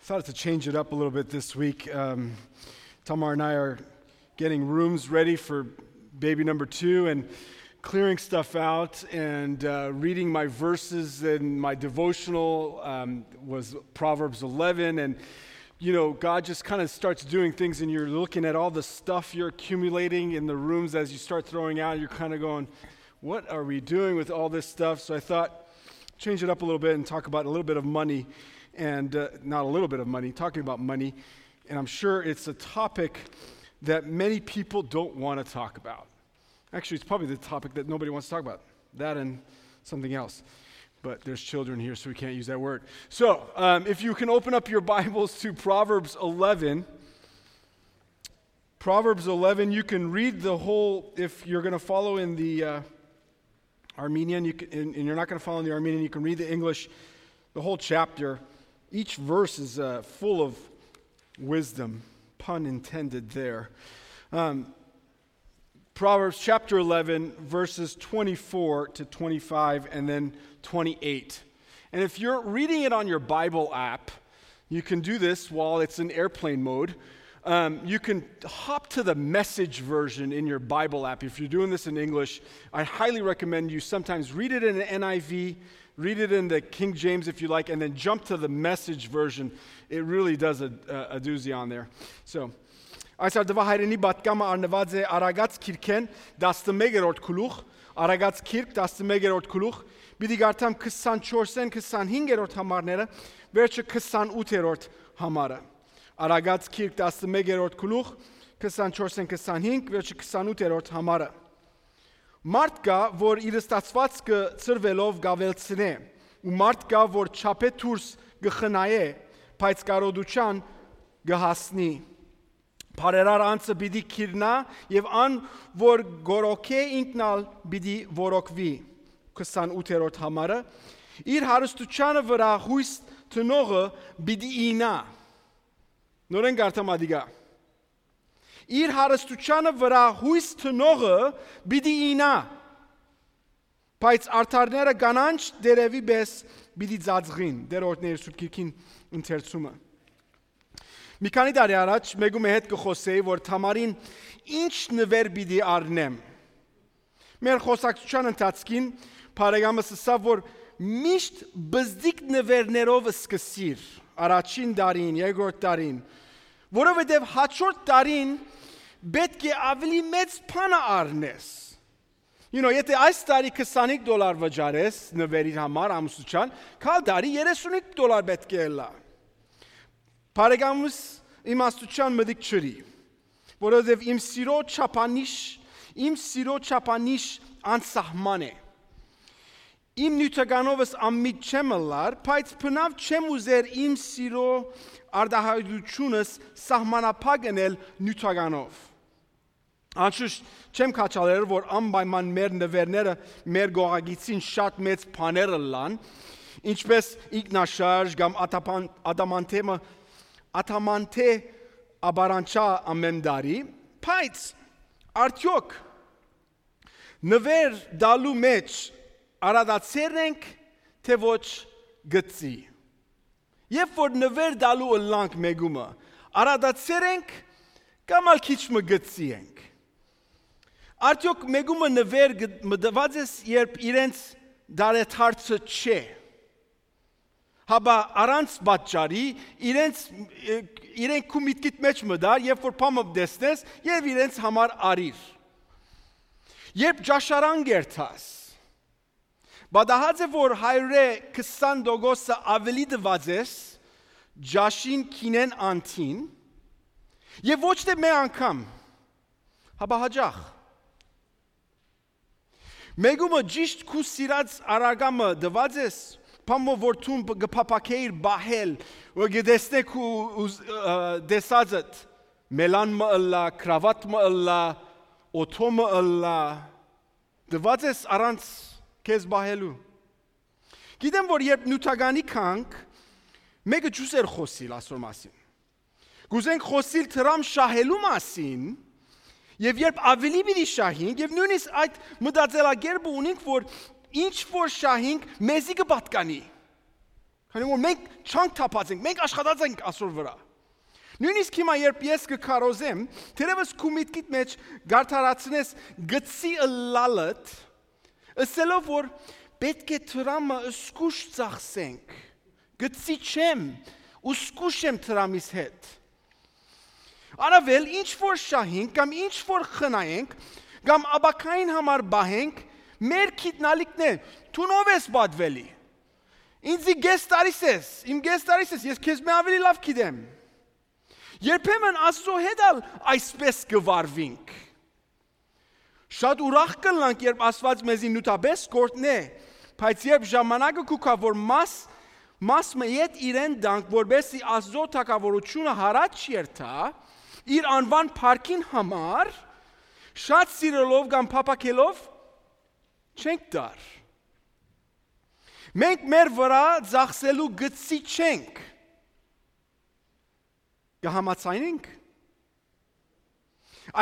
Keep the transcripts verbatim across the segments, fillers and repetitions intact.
Decided to change it up a little bit this week. Um, Tamar and I are getting rooms ready for baby number two and clearing stuff out and uh, reading my verses in my devotional um, was Proverbs eleven. And, you know, God just kind of starts doing things, and you're looking at all the stuff you're accumulating in the rooms as you start throwing out. You're kind of going, "What are we doing with all this stuff?" So I thought, change it up a little bit and talk about a little bit of money and uh, not a little bit of money, talking about money. And I'm sure it's a topic that many people don't want to talk about. Actually, it's probably the topic that nobody wants to talk about, that and something else. But there's children here, so we can't use that word. So um, if you can open up your Bibles to Proverbs eleven. Proverbs eleven, you can read the whole, if you're going to follow in the uh, Armenian, you can, and, and you're not going to follow in the Armenian, you can read the English, the whole chapter. Each verse is uh, full of wisdom, pun intended there. Um, Proverbs chapter eleven, verses twenty-four to twenty-five, and then twenty-eight. And if you're reading it on your Bible app, you can do this while it's in airplane mode. Um, you can hop to the message version in your Bible app. If you're doing this in English, I highly recommend you sometimes read it in an N I V, read it in the King James if you like, and then jump to the message version. It really does a, a, a doozy on there. So, այս արդուահայրենի պատկամը առնուած է Արագած քիրքեն տասնմեկերորդ գլուխ, Արագած քիրք տասնմեկերորդ գլուխ, պիտի կարդամ քսանչորսէն քսանհինգերորդ համարները, վերջը քսանութերորդ համարը։ Արագած քիրք տասնմեկերորդ գլուխ, քսանչորսէն քսանհինգ, վերջը քսանութերորդ համարը։ Մարդ կայ, որ իր ստացուածքը ցրուելով կ'աւելցնէ, ու մարդ կայ, որ չափէ դուրս կը խնայէ, բայց կարօտութեան կը հասնի։ Բարերար անձը պիտի գիրնայ, եւ ան, որ գորոքէ, ինքն ալ պիտի որոքուի։ Քսանութերորդ համարը։ Իր հարստութեանը վրայ յոյս տնողը պիտի իյնայ։ Նորէն կարդամ ատիկա։ Իր հարստութեանը վրայ յոյս տնողը պիտի իյնայ, բայց արդարները կանանչ տերեւի պէս պիտի ծածկին, Տէր օրհնէ իր Սուրբ Գիրքին ընթերցումը։ Մի քանի տարի առաջ մէկու մը հետ կը խօսէի, որ Թամարին ինչ նուէր պիտի առնեմ։ Մեր խօսակցութեան ընթացքին բարեկամս ըսաւ, որ միշտ բզդիկ նուէրներով սկսիր, առաջին տարին, երկրորդ տարին, որովհետեւ հաջորդ տարին պէտք է աւելի մեծ բանը առնես։ You know, եթե այս տարի քսանհինգ դոլար վճարես նուէրի համար ամուսնութեան, գալ տարի երեսունհինգ դոլար պէտք է ըլլայ։ Բարեկամս իմաստութեան մտիկ չըրի, որովհետեւ իմ սիրո չափանիշ, իմ սիրո չափանիշ անսահման է։ Իմ նիւթականովս անմիջ չեմ ըլլար, բայց բնաւ չեմ ուզեր իմ սիրո արտահայտությունս սահմանափակ ընել նիւթականով։ Անշուշտ չեմ քաջալերեր, որ անպայման մեր նուէրները մեր գողագիծին շատ մեծ բաներ ըլլան, ինչպես ինքնաշարժ կամ ադապան-, ադամանտեմը, ադամանտե ապարանչա ամեն տարի, բայց արդյոք նուէր տալու մեջ արադացե՞ր ենք, թէ ոչ գծի։ Երբ որ նուէր տալու ըլլանք մէկումը, արադացե՞ր ենք կամ ալ քիչ մը գծի ենք։ Արդյոք մէկումը նուէր գ-, մտված ես, երբ իրենց դարեդարձը չէ, հապա առանց պատճառի իրենց, ը, իրենք քու միտքիդ մեջ մտար, երբ որ բան մը տեսնես, եւ իրենց համար արիր։ Երբ ճաշարան կերթաս, պատահած է, որ հարիւրէ քսան տոկոսը աւելի տուած ես ճաշին, գինեն, անթին, եւ ոչ թէ մէ անգամ, հապա յաճախ։ Մէկումը ճիշտ քու սիրած առարկամը տուած ես, բան մը որ դուն կը փափաքէիր պահել, որ կը տեսնէ քու ուզ-, ը, տեսածդ, մելան մը ըլլայ, կրաւատ մը ըլլայ, օթո մը ըլլայ, տուած ես առանց քեզ պահելու։ Գիտեմ, որ երբ նիւթականի գանք, մէկը ջուս էր խօսիլ ասոր մասին։ Կ'ուզենք խօսիլ դրամ շահելու մասին, եւ երբ աւելի պիտի շահենք, եւ նոյնիսկ այդ մտածելակերպը ունենք, որ ինչ որ շահենք, մեզի կը պատկանի։ Քանի որ մենք չանք թափած ենք, մենք աշխատած ենք ասոր վրայ։ Նոյնիսկ հիմա, երբ ես կը քարոզեմ, թերեւս քու միտքիդ մէջ գարթարացնես գցի ըլլալդ, ըսելով որ պէտք է դրամը զգուշ ծախսենք, գցի չեմ ու զգուշ եմ դրամիս հետ։ Առաւել, ինչ որ շահենք կամ ինչ որ խնայենք կամ ապագային համար պահենք, մեր գիտնալիքն է, դուն ով ես պատուելի։ Ինձի կէս տարիս ես, իմ կէս տարիս ես, ես քեզ մէ ավելի լաւ գիտեմ։ Երբեմն Աստուծոյ հետ ալ այսպէս կը վարուինք։ Շատ ուրախ կ'ըլլանք, երբ Աստուած մեզի նիւթապէս կ'օրհնէ, բայց երբ ժամանակը կու գայ, որ մաս, մաս մը ետ իրեն տանք, որպէսզի Աստուծոյ թագաւորութիւնը յառաջ երթայ, իր անուան փառքին համար, շատ սիրելով կամ փափաքելով չենք տար։ Մենք մեր վրայ ծախսելու գծի չենք։ Կը համաձայնենք։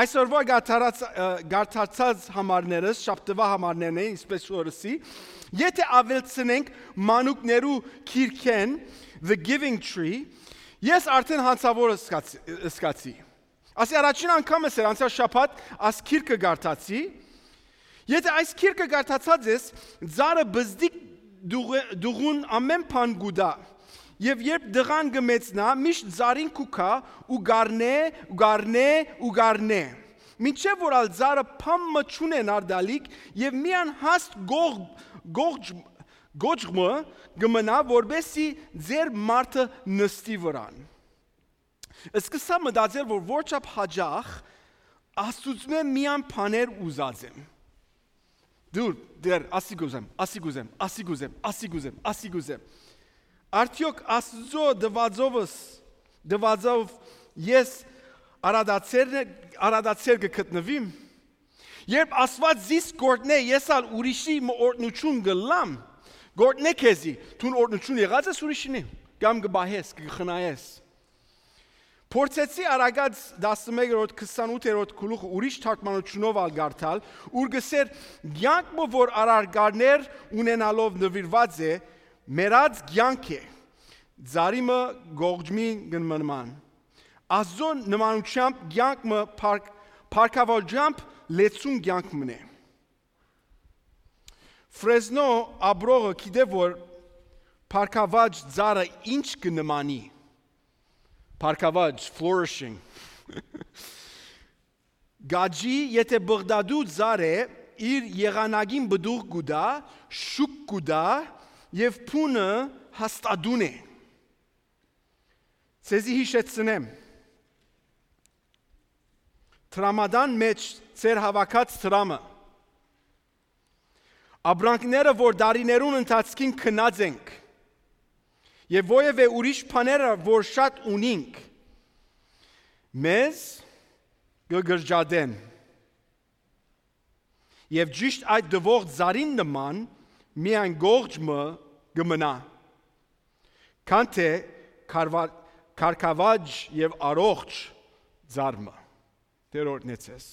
Այսօրվա գարթարած-, ը, գարթարցած համարներս, շաբթուայ համարներն են, ինչպես օրսի, եթե աւելցնենք մանուկներու քիրքէն, The Giving Tree, ես արդեն հանցաւոր ըսկացի, ըսկացի։ Ասի առաջին անգամս էր անցյալ շաբաթ աս քիրքը գարթացի։ Եթե այս քիրքը գարթացած ես, ծառը բզդիկ դուղ-, դուղուն ամեն բան կու տայ։ Եւ երբ դղան կը մեծնայ, միշտ ծառին կու գայ ու գարնէ, ու գարնէ, ու գարնէ։ Մինչեւ որ ալ ծառը բան մը չունենար տալիք եւ միան հաստ գող-, գողջ-, գոճ մը կը մնայ, որպէսզի ձեր մարդը նստի վրան։ Սկսա մտածել, որ որչափ յաճախ Աստուծմէ միան բաներ ուզած եմ։ Դուր, դեռ, ասի կ'ուզեմ, ասի կ'ուզեմ, ասի կ'ուզեմ, ասի կ'ուզեմ, ասի կ'ուզեմ։ Արդեօք Աստուծոյ դվածովս, դվածով ես արադացերն է, արադացեր կը գտնվի՞մ։ Երբ Աստուած զիս կ'օրհնէ, ես ալ ուրիշի մը օրհնութիւն կ'ըլլամ, կ'օրհնէ քեզի, դուն օրհնութիւն եղած ես ուրիշինի, կամ կը պահես, կը խնայես։ Փորձեցի Արագած տասնմեկերորդ, քսանութերորդ գլուխը ուրիշ թարգմանութիւնով ալ կարդալ, ուր կ'ըսէր. «Կեանք մը որ արարքներ ունենալով նուիրուած է, մեռած կեանք է, ծառի մը գողջմի կը մնան։ Աստուծոյ նմանութեամբ կեանք մը փառք-, փառքաւորչամբ լեցուն կեանք մնէ»։ Ֆրեզնո ապրողը գիտէ, որ փառքաւաճ ծառը ինչ կը նմանի։ Փառքաւաճ, flourishing։ Գաճի, եթե բղդատու ծառ է, իր եղանակին պտուղ կու տայ, շուք կու տայ եւ փունը հաստատուն է։ Ձեզի յիշեցնեմ, դրամատան մէջ ձեր հաւաքած դրամը, ապրանքները, որ տարիներուն ընթացքին գնած ենք, եւ որեւէ ուրիշ բաները, որ շատ ունինք, մեզ կը կրճատեն։ Եւ ճիշտ այդ տուող ծառին նման միայն գողջ մը կը մնայ, քան թէ քարվա-, քարկավաճ եւ առողջ ծառ մը։ Տէր օրհնեցես։